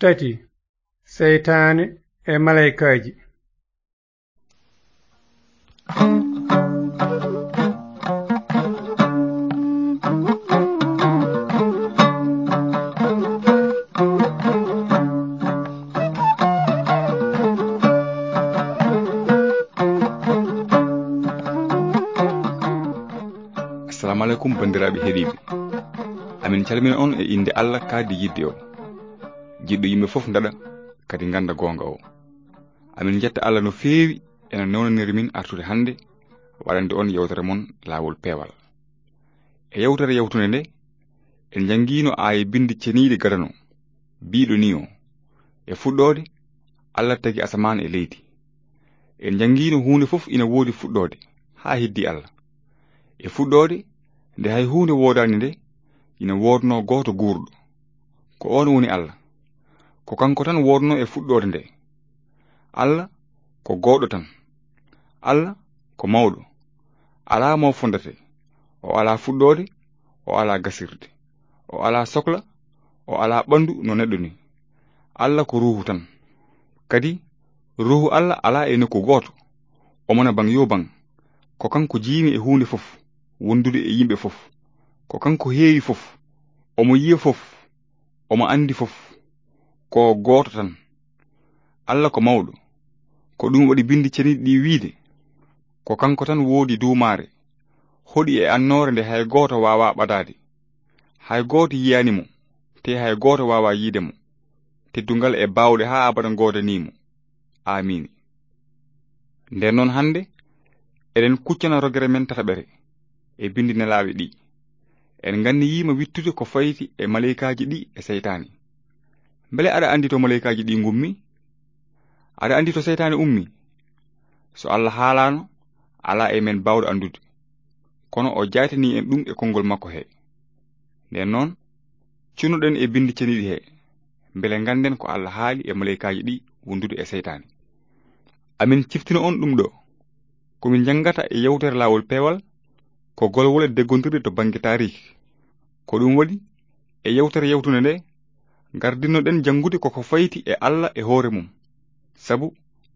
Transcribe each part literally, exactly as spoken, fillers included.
Tati, seytaane e malaykaaji. Assalamu aleykum, banndiraaɓe heɗiiɓe. Amin calmina on e innde Allah kaadi yiɗde o. Jiɗɗo yimɓe fof ndaɗa, kadi ngannda goonga o. Amin njetta Allah no feewi ena newnaniri min artude hannde, waɗande on yewtere mon Laawol Peewal. E yewtere yawtunde nde, en njanngiino aaya binndi ceniiɗi gadano, biiɗo nii o: E fuɗɗoode, Allah tagi asamaan e leydi. En njanngiino huunde fof ina woodi fuɗɗoode, haa heddii Allah. E fuɗɗoode, nde hay huunde woodaani nde, ina woodnoo gooto guurɗo. Ko oon woni Allah. Ko kanko tan woodnoo e fuɗɗoode nde. Allah ko gooto tan. Allah ko mawɗo. Alaa mo fondate. O alaa fuɗɗoode, o alaa gasirde. O alaa sokla, o alaa ɓanndu no neɗɗo ni. Allah ko ruuhu tan. Kadi, ruuhu Allah alaa e nokku gooto. Omo na baŋ yo baŋ. Ko kanko jiimi e huunde fof, wondude e yimɓe fof. Ko kanko heewi fof. Omo yiya fof. Omo anndi fof. Ko gooto tan. Allah ko mawɗo. Ko ɗum waɗi binndi ceniiɗi ɗi wiide: Ko kanko tan woodi duumaare, hoɗi e annoore nde hay gooto waawaa ɓadaade. Hay gooto yiyaani mo, te hay gooto waawaa yiide mo. Teddungal e baawɗe haa abadan ngoodanii mo. Aamiin. Nden noon hannde, eɗen kuccana rogere men tataɓere e binndi nelaaɓe ɗi. En nganniyiima wittude ko fayti e maleykaaji ɗi e seytaane. Mbele aɗa anndi to maleykaaji ɗi ngummi? Aɗa anndi to seytaane ummi? So Allah haalaano, alaa e men baawɗo anndude. Kono o jaytanii en ɗum e konngol makko he. Nden noon, cunoɗen e binndi ceniiɗi he, mbele ngannden ko Allah haali e maleykaaji ɗi wondude e seytaane. Amin ciftino on ɗum ɗo. Ko min njanngata e yewtere Laawol Peewal, ko golwole deggondirɗe to bannge taariik. Ko ɗum waɗi, e yewtere yawtunde nde, ngardinnoɗen janngude ko ko fayti e Allah e hoore mum. Sabu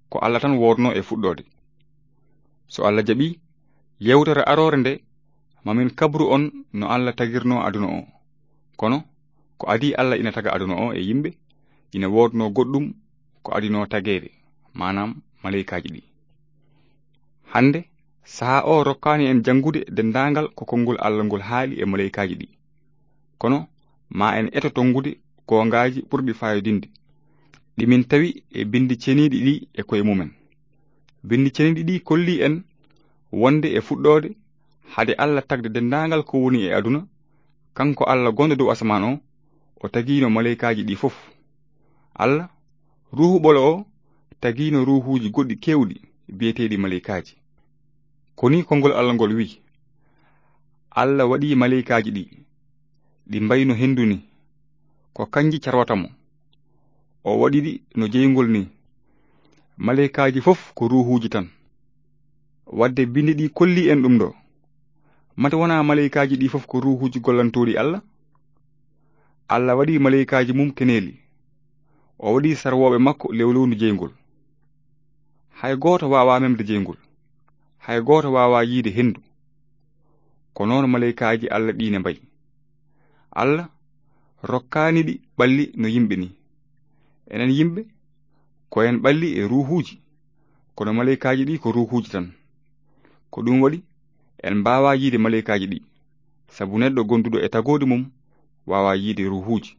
ko Allah tan woodnoo e fuɗɗoode. So Allah jaɓii, yewtere aroore nde, mamin kabru on no Allah tagirnoo aduna o. Kono, ko adii Allah ina taga aduna o e yimɓe, ina woodnoo goɗɗum ko adinoo tageede, maanaam maleykaaji ɗi. Hannde, sahaa o rokkaani en janngude denndaangal ko konngol Allah ngol haali e maleykaaji ɗi. Kono, ma en eto tonngude goongaaji ɓurɗi faayodinde, ɗi min tawi e binndi ceniiɗi ɗi e koye mumen. Binndi ceniiɗi ɗi kolli en wonde e fuɗɗoode, hade Allah tagde denndaangal ko woni e aduna, kanko Allah gonɗo dow asamaan o, o tagiino maleykaaji ɗi fof. Allah, ruuhu ɓolo o, tagiino ruuhuuji goɗɗi keewɗi, biyeteeɗi maleykaaji. Ko ni konngol Allah ngol wi'i: Allah waɗi maleykaaji ɗi, ɗi mbayno henndu ni, ko kanji carwata mo. O waɗi ɗi no jeyngol ni. Maleykaaji fof ko ruuhuuji tan. Wadde binndi ɗi kolli en ɗum ɗo. Mate wonaa maleykaaji ɗi fof ko ruuhuuji gollantooɗi Allah? Allah waɗi maleykaaji mum keneeli. O waɗi sarwooɓe makko lewlewnu jeyngol. Hay gooto waawaa memde jeyngol. Hay gooto waawaa yiide henndu. Ko noon maleykaaji Allah ɗi ne mbayi. Allah rokkaani ɗi ɓalli no yimɓe ni. Enen yimɓe, ko en ɓalli e ruuhuuji, kono maleykaaji ɗi ko ruuhuuji tan. Ko ɗum waɗi, en mbaawaa yiide maleykaaji ɗi, sabu neɗɗo gonduɗo e tagoodi mum waawaa yiide ruuhuuji.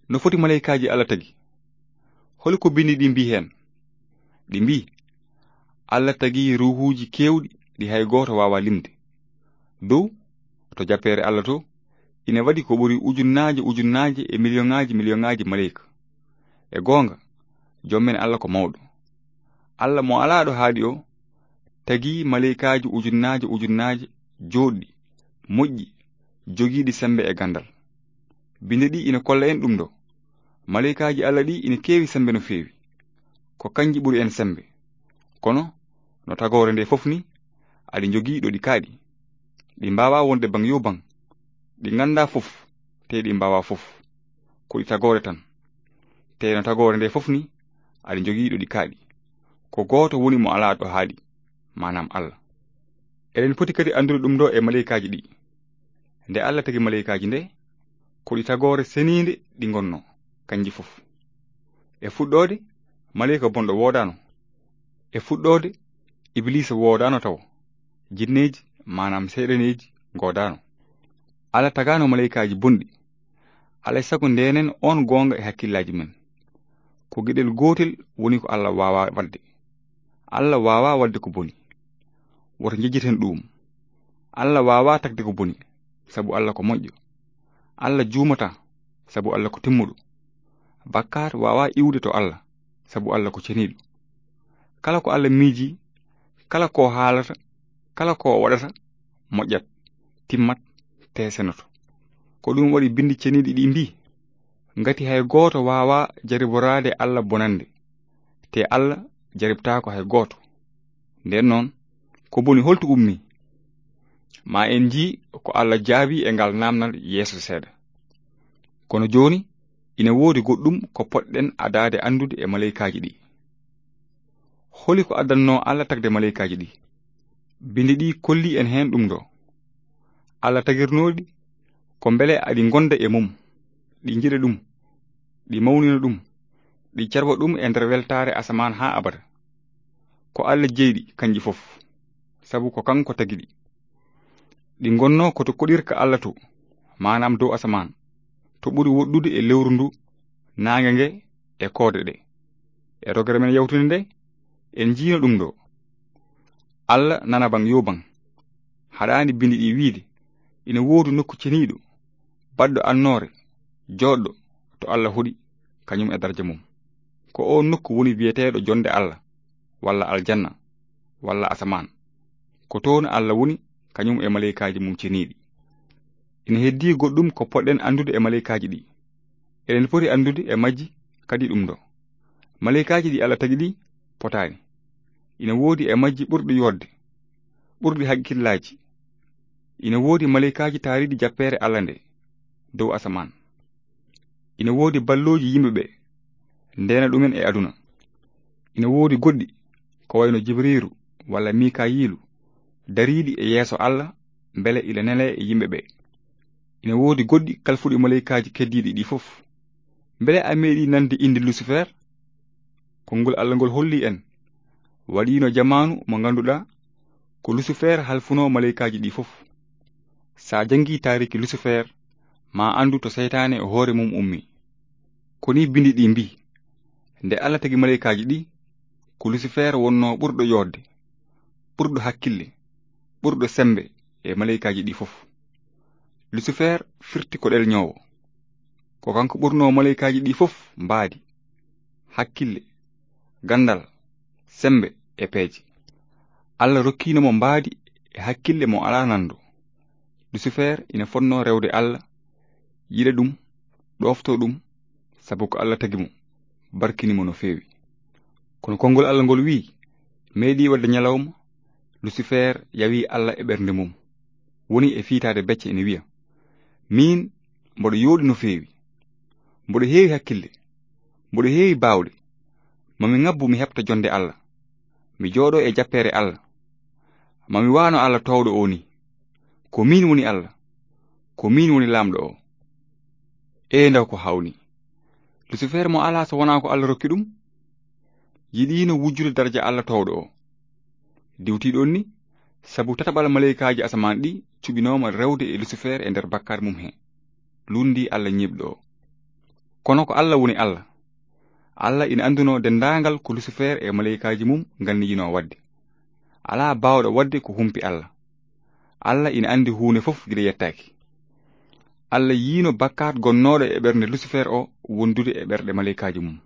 No foti maleykaaji Allah tagi? Holi ko binndi ɗi mbii heen? Ɗi mbii, Allah tagi ruuhuuji keewɗi ɗi hay gooto waawaa limde. Dow, to jappeere Allah to, ina waɗi ko ɓuri ujunnaaje ujunnaaje e miliyoŋaaji miliyoŋaaji maleyka. E goonga, Joom men Allah ko mawɗo. Allah mo alaa ɗo haaɗi o, tagi maleykaaji ujunnaaje ujunnaaje jooɗɗi, moƴƴi, jogiiɗi semmbe e ganndal. Binndi ɗi ina kolla en ɗum ɗo. Maleykaaji Allah ɗi ina keewi semmbe no feewi. Ko kanji ɓuri en semmbe. Kono, no tagoore nde fof ni, aɗi njogii ɗo ɗi kaaɗi. Ɗi mbaawaa wonde baŋ yo baŋ. Ɗi nganndaa fof, tee ɗi mbaawaa fof. Ko ɗi tagoore tan. Te no tagoore nde fof ni, aɗa jogii ɗo ɗi kaaɗi. Ko gooto woni mo alaa ɗo haaɗi, maanaam Allah. Eɗen poti kadi anndude ɗum ɗo e maleykaaji ɗi. Nde Allah tagi maleykaaji nde, ko ɗi tagoore seniinde ɗi ngonno, kanji fof. E fuɗɗoode, maleyka bonɗo woodaano. E fuɗɗoode, Ibliisa woodaano tawo. Jinneeji, maanaam seyɗaneeji, ngoodaano. Allah tagaano maleykaaji bonɗi. Alay sago ndenen on goonga e hakkillaaji men. Ko geɗel gootel woni ko Allah waawaa waɗde. Allah waawaa waɗde ko boni. Woto njejjiten ɗuum. Allah waawaa tagde ko boni, sabu Allah ko moƴƴo. Allah juumataa, sabu Allah ko timmuɗo. Bakkaat waawaa iwde to Allah, sabu Allah ko ceniiɗo. Kala ko Allah miiji, kala ko haalata, kala ko waɗata, moƴƴat, timmat, te senoto. Ko ɗum waɗi binndi ceniiɗi ɗi mbii, ngati hay gooto waawaa jariboraade Allah bonannde, te Allah jaribtaako hay gooto. Nden noon, ko boni holto ummii? Ma en njii ko Allah jaabi e ngal naamnal yeeso seeɗa. Kono jooni, ina woodi goɗɗum ko potɗen adaade anndude e maleykaaji ɗi. Holi ko addannoo Allah tagde maleykaaji ɗi? Binndi ɗi kolli en heen ɗum ɗo. Allah tagirnoo ɗi ko mbele aɗi ngonda e mum, ɗi njiɗa ɗum, ɗi mawnina ɗum, ɗi carwa ɗum e nder weltaare asamaan haa abada. Ko Allah jeyi ɗi, kanji fof, sabu ko kanko tagi ɗi. Ɗi ngonnoo ko to koɗirka Allah to, maanaam dow asamaan, to ɓuri woɗɗude e lewru ndu, naange nge e koode ɗe. E rogere men yawtunde nde, en njiino ɗum ɗo. Allah nana baŋ yo baŋ. Haɗaani binndi ɗi wiide, ina woodi nokku ceniiɗo, baɗɗo annoore, jooɗɗo to Allah hoɗi, kañum e darja mum. Ko oon nokku woni biyeteeɗo jonde Allah, walla aljanna, walla asamaan. Ko toon Allah woni, kañum e maleykaaji mum ceniiɗi. Ina heddii goɗɗum ko poɗɗen anndude e maleykaaji ɗi. Eɗen poti anndude e majji kadi ɗum ɗo. Maleykaaji ɗi Allah tagi ɗi potaani. Ina woodi e majji ɓurɗi yooɗde, ɓurɗi hakkillaaji. Ina woodi maleykaaji taariiɗi jappeere Allah nde dow asamaan. Ina woodi ballooji yimɓe ɓe, ndeena ɗumen e aduna. Ina woodi goɗɗi, ko wayno Jibriiru walla Mikayiilu, dariiɗi e yeeso Allah, mbele ila nelee e yimɓe ɓe. Ina woodi goɗɗi kalfuɗi maleykaaji keddiiɗi ɗi fof. Mbele a meeɗii nande innde Lusifer? Konngol Allah ngol holli en, waɗiino jamaanu mo ngannduɗaa ko Lusifer halfunoo maleykaaji ɗi fof. Sa janngii taariki Lusifer, ma anndu to seytaane e hoore mum ummi. Ko ni binndi ɗi mbii, nde Allah tagi maleykaaji ɗi, ko Lusifer wonnoo ɓurɗo yooɗde, ɓurɗo hakkille, ɓurɗo semmbe e maleykaaji ɗi fof. Lusifer firti ko ɗelñoowo. Ko kanko ɓurnoo maleykaaji ɗi fof mbaadi, hakkille, ganndal, semmbe e peeje. Allah rokkiino mo mbaadi e hakkille mo alaa nanndo. Lusifer ina fotnoo rewde Allah, yiɗa ɗum, ɗoofto ɗum, sabu ko Allah tagi mo, barkini mo no feewi. Kono konngol Allah ngol wiyi, meeɗii waɗde ñalawma, Lusifer yawi Allah e ɓernde mum. Woni e fiitaade becce ina wiya, miin mboɗo yooɗi no feewi. Mboɗo heewi hakkille. Mboɗo heewi baawɗe. Mami ŋabbu mi heɓta jonde Allah. Mi jooɗo e jappeere Allah. Mami waano Allah toowɗo o ni. Ko miin woni Allah. Ko miin woni laamɗo o. Ee ndaw ko hawni. Lusifer mo alaa so wonaa ko Allah rokki ɗum. Yiɗiino wujjude darja Allah toowɗo o. Diwtii ɗoon ni, sabu tataɓal maleykaaji asamaan ɗi cuɓinooma rewde e Lusifer e nder bakkaat mum he. Luundi Allah ñiiɓɗo o. Kono ko Allah woni Allah. Allah ina anndunoo denndaangal ko Lusifer e maleykaaji mum nganniyinoo waɗde. Alaa baawɗo waɗde ko humpi Allah. Allah ina anndi huunde fof gila yettaaki. Allah yiino bakkaat gonnooɗo e ɓernde Lusifer o wondude e ɓerɗe maleykaaji mum.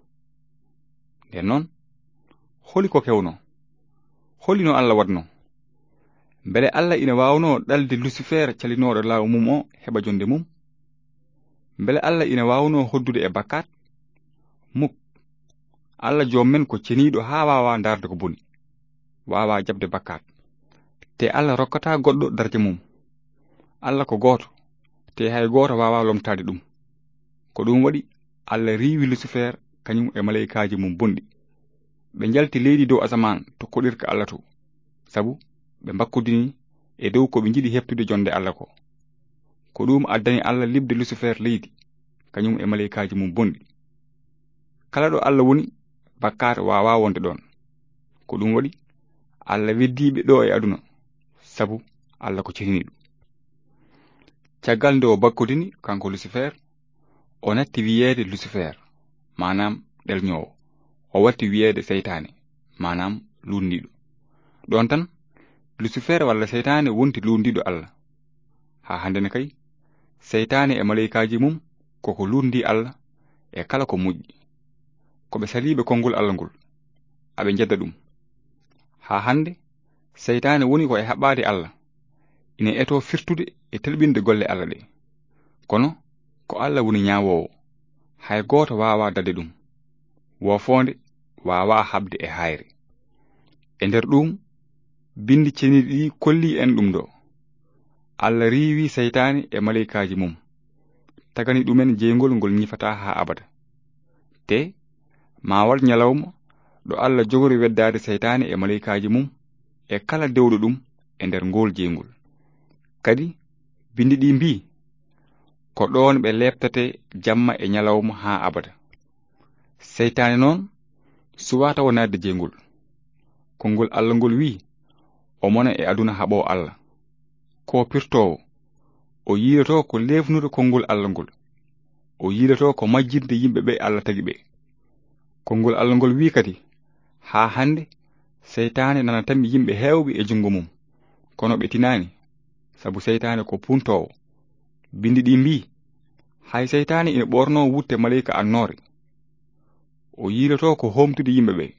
Nden noon, holi ko kewnoo? Holi no Allah waɗnoo? Mbele Allah ina waawnoo ɗalde Lusifer calinooɗo laamu mum o heɓa jonde mum? Mbele Allah ina waawnoo hoddude e bakkaat? Muk. Allah joom men ko ceniiɗo haa waawaa ndaarde ko boni, waawaa jaɓde bakkaat. Te Allah rokkataa goɗɗo darja mum. Allah ko gooto, te hay gooto waawaa lomtaade ɗum. Ko ɗum waɗi Allah riiwi Lusifer kañum e maleykaaji mum bonɗi. Ɓe njalti leydi dow asamaan to koɗirka Alla to, sabu ɓe mbakkodini e dow ko ɓe njiɗi heɓtude jonde Alla ko. Ko ɗum addani Alla liɓde Lusifer leydi, kañum e maleykaaji mum bonɗi. Kala ɗo Alla woni, bakkaat waawaa wonde ɗoon. Ko ɗum waɗi, Alla weddii ɓe ɗo e aduna, sabu Alla ko ceniiɗo. Caggal nde o bakkodini, kanko Lusifer, o natti wiyeede Lusifer, maanaam ɗelñoowo. O watti wiyeede seytaane, maanaam luutndiiɗo. Ɗoon tan, Lusifer walla seytaane wonti luutndiiɗo Alla. Haa hannde ne kay, seytaane e maleykaaji mum koko luutndii Alla e kala ko moƴƴi. Ko ɓe saliiɓe konngol Alla ngol, aɓe njedda ɗum. Haa hannde, seytaane woni ko e haɓaade Alla, ina etoo firtude e telɓinde golle Alla ɗe. Kono, ko Alla woni ñaawoowo, hay gooto waawaa daɗde ɗum. Woofoonde waawaa haɓde e haayre. E nder ɗum, binndi ceniiɗi ɗi kollii en ɗum ɗo. Alla riiwi seytaane e maleykaaji mum, tagani ɗumen jeyngol ngol ñifataa haa abada. Te, maa waɗ ñalawma ɗo Alla jogori weddaade seytaane e maleykaaji mum e kala dewɗo ɗum e nder ngool jeyngol. Kadi, binndi ɗi mbii, ko ɗoon ɓe leeptatee jamma e ñalawma haa abada. Seytaane noon, suwaa tawa naatde jeyngol. Konngol Alla ngol wii, o mona e aduna haɓoo Alla. Ko pirtoowo, o yiilotoo ko leefnude konngol Alla ngol. O yiilotoo ko majjinde yimɓe ɓe Alla tagi ɓe. Konngol Alla ngol wii kadi, haa hannde, seytaane nana tammi yimɓe heewɓe e junngo mum. Kono ɓe tinaani, sabu seytaane ko puuntoowo. Binndi ɗi mbii, hay seytaane ina ɓoornoo wutte maleyka annoore. O yiilotoo ko hoomtude yimɓe ɓe,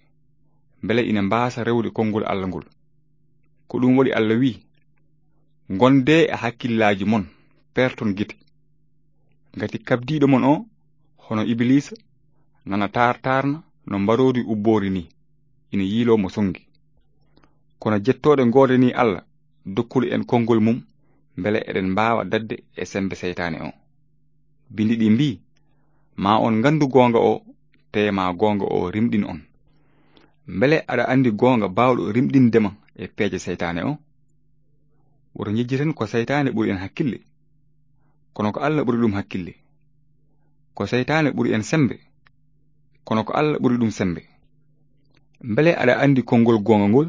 mbele ina mbaasa rewde konngol Alla ngol. Ko ɗum waɗi Alla wii, ngondee e hakkillaaji mon, peerton gite. Ngati kabdiiɗo mon o, hono Ibiliisa, nana taartaarna no mbaroodi ubboori ni, ina yiiloo mo sonngi. Kono jettooɗe ngoodanii Alla, dokkuɗo en konngol mum, mbele eɗen mbaawa daɗde e semmbe seytaane o. Binndi ɗi mbii, maa on nganndu goonga o, tee maa goonga o rimɗin on. Mbele aɗa anndi goonga baawɗo rimɗinde ma e peeje seytaane o? Woto njejjiten ko seytaane ɓuri en hakkille. Kono ko Alla ɓuri ɗum hakkille. Ko seytaane ɓuri en semmbe. Kono ko Alla ɓuri ɗum semmbe. Mbele aɗa anndi konngol goonga ngol?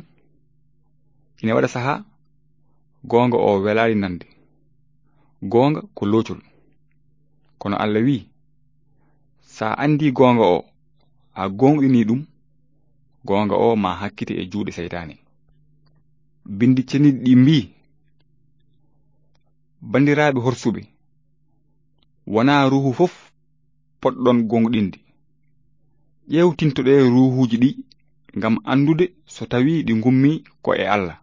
Ina waɗa sahaa, goonga o welaani nande. Goonga ko loocol. Kono Alla wii, so a anndii goonga o, a goongɗinii ɗum, goonga o maa hakkite e juuɗe seytaane. Binndi ceniiɗi ɗi mbii, banndiraaɓe horsuɓe, wonaa ruuhu fof potɗon goongɗinde. Ƴeewtintoɗee ruuhuuji ɗi ngam anndude so tawii ɗi ngummii ko e Alla.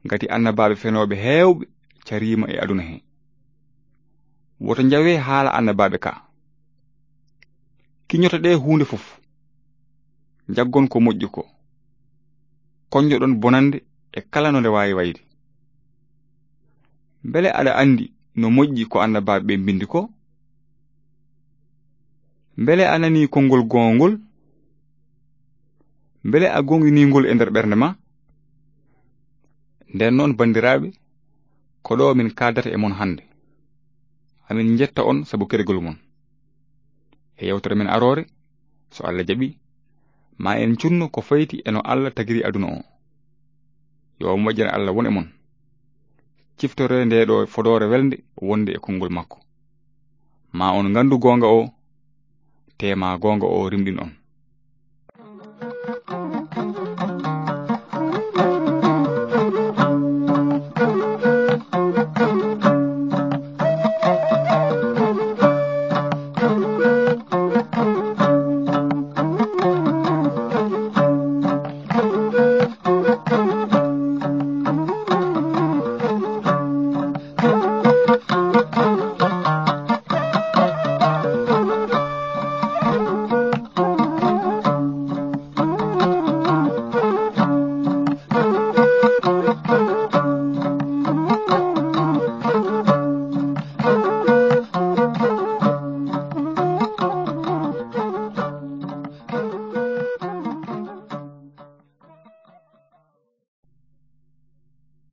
Ngati annabaaɓe fenooɓe heewɓe cariima e aduna he. Woto njawee haala annabaaɓe ka. Kiñotoɗee huunde fof. Njaggon ko moƴƴi ko. Koñjoɗon bonannde e kala no nde waawi wayde. Mbele aɗa anndi no moƴƴi ko annabaaɓe ɓe mbinndi ko? Mbele a nanii konngol goonga ngol? Mbele a goongɗinii ngol e nder ɓernde ma? Nden noon, banndiraaɓe, ko ɗo min kaaldata e mon hannde. Amin njetta on sabu keɗgol mon. E yewtere men aroore, so Alla jaɓi, ma en cunno ko fayti e no Alla tagiri aduna o. Yo o moƴƴere Alla won e mon. Ciftoree nde ɗo fodoore welnde wonde e konngol makko. Ma on nganndu goonga o, te ma goonga o rimɗin on.